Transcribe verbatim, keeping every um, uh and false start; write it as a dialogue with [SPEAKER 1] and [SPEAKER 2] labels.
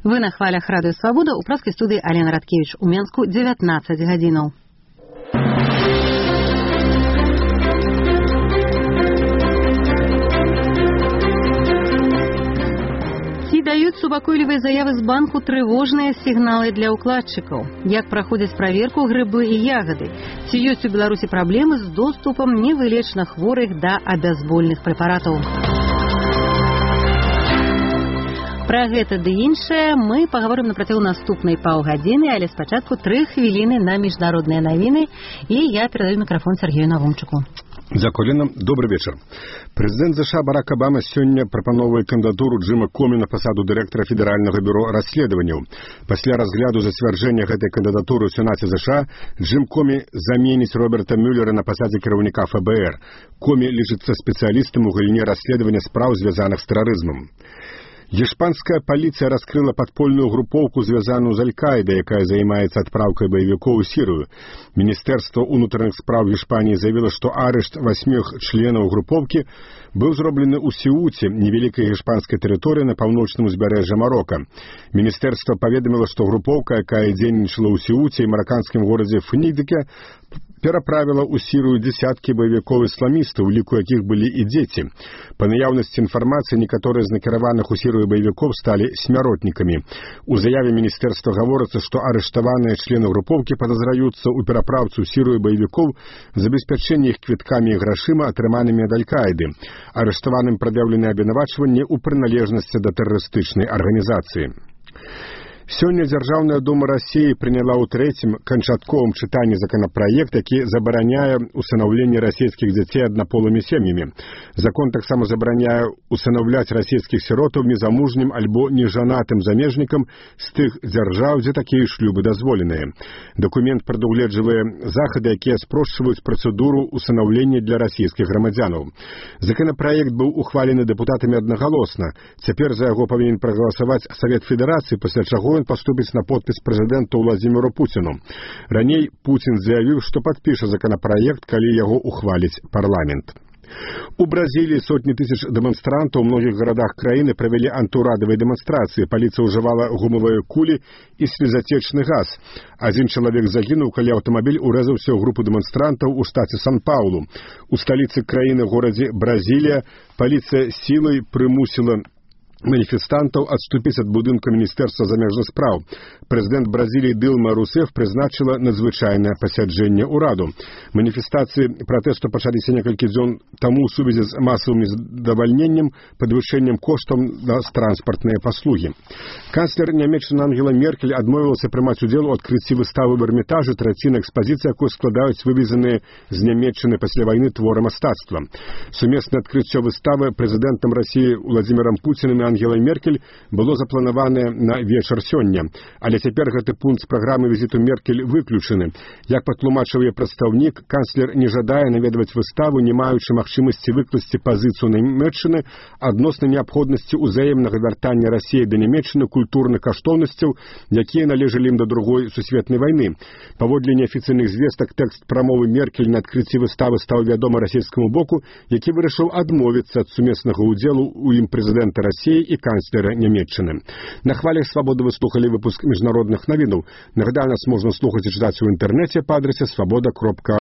[SPEAKER 1] Вы на хвалях Радыё Свабода, у праскай студыі Алена Радкевіч, у Менску дзевятнаццаць гадзінаў. Ці даюць супакойлівыя заявы з банку трывожныя сігналы для ўкладчыкаў? Як праходзяць праверку грыбы і ягады? Ці ёсць у Беларусі праблемы з доступам невылечна хворых да абязбольных прэпаратаў? Пра гэта ды іншае мы паговорым на працягу наступнай паўгадзіны, але спачатку тры хвіліны на міжнародныя навіны, і я перадаю мікрафон Сергею Навумчыку.
[SPEAKER 2] Дзякуй, Лена. Добры вечар. Прэзідэнт ЗША Барак Абама сёння прапановвае кандыдатуру Джима Комі на пасаду дырэктара Федэральнага бюро расследаванняў. Пасля разгляду зацвярджэння гэтай кандыдатуры ў Сенаце ЗША Джим Комі заменіць Роберта Мюллера на пасадзе кіраўніка эф бэ эр. Комі лічыцца спецыялістам у галіне расследавання спраў, звязаных з тэрарызмам. Іспанская паліцыя раскрыла падпольную групоўку, звязаную з Аль-Каідай, якая займаецца адпраўкай баевікоў у Сірыю. Міністэрства ўнутраных спраў Іспаніі заявіла, што арышт васьміх членаў групоўкі быў зроблены ў Сеуце, невялікай іспанскай тэрыторыі на паўночным узбярэжжы Марока. Міністэрства паведаміла, што групоўка, якая дзейнічала ў Сеуце і мараканскім горадзе Фнідыке, пераправіла ў Сірыю дзесяткі баевікоў-ісламістаў, у ліку якіх былі і дзеці. Па наяўнасці інфармацыі, некаторыя з накіраваных у Сірыю баевікоў сталі смяротнікамі. У заяве міністэрства гаворыцца, што арыштаваныя члены групоўкі падазраюцца ў перапраўцы ў Сірыю баевікоў, забеспячэнні іх квіткамі і грашыма, атрыманымі ад Аль-Каіды. Арыштаваным прад'яўлены абвінавачванні ў прыналежнасці да тэрарыстычнай арганізацыі. Сёння Дзяржаўная дума Расіі прыняла ў трэцім канчатковым чытанні законапраект, які забараняе усынаўленне расійскіх дзяцей аднаполымі сем'ямі. Закон таксама забараняе усынаўляць расійскіх сіротаў незамужнім альбо нежанатым замежнікам з тых дзяржаў, дзе такія шлюбы дазволеныя. Дакумент прадугледжвае захады, якія спрошчваюць працэдуру усынаўлення для расійскіх грамадзянаў. Законапраект быў ухвалены дэпутатамі аднагалосна. Цяпер за яго павінен прагаласаваць Савет Федэрацыі, пасля чаго ён паступіць на подпіс прэзідэнту Владзіміру Пуціну. Раней Пуцін заявіў, што падпіша законапраект, калі яго ухваліць парламент. У Бразіліі сотні тысяч дэманстрантаў у многіх гарадах краіны правялі антыўрадавыя дэманстрацыі. Паліцыя ўжывала гумавыя кулі і слезацечны газ. Адзін чалавек загінуў, калі аўтамабіль урэзаўся ў групу дэманстрантаў у штаце Сан-Паулу. У сталіцы краіны, горадзе Бразілія, паліцыя сілай прымусіла маніфестантаў адступіць ад будынка Міністэрства замежных спраў. Прэзідэнт Бразіліі Дылма Русеф прызначыла надзвычайнае пасяджэнне ўраду. Маніфестацыі пратэсту пачаліся некалькі дзён таму ў сувязі з масавым задавальненнем, падвышэннем коштаў на транспартныя паслугі. Канцлер Нямецчыны Ангела Меркель адмовілася прымаць удзел у адкрыцці выставы ў Эрмітажы, траціна экспазіцыі, якую складаюць вывезеныя з Нямецчыны пасля вайны творы мастацтва. Сумеснае адкрыццё выставы прэзідэнтам Расіі Владзімірам Пуцінам і Ангелай Меркель было запланаванае на вечар сёння, але цяпер гэты пункт з праграмы візіту Меркель выключаны. Як патлумачыў яе прадстаўнік, канцлер не жадае наведваць выставу, не маючы магчымасці выкласці пазіцыю Нямецчыны адносна неабходнасці ўзаемнага вяртання Расіі да Нямецчыны культурных каштоўнасцяў, якія належалі ім да другой сусветнай вайны. Паводле неафіцыйных звестак, тэкст прамовы Меркель на адкрыцці выставы стаў вядома расійскаму боку, які вырашыў адмовіцца ад сумеснага ўдзелу ў ім прэзідэнта Расіі і канцлера Нямецчыны. На хвалях Свабоды вы слухалі выпуск міжнародных навінаў. Нагадаю, нас можна слухаць і чытаць у інтэрнэце па адрасе свабода кропка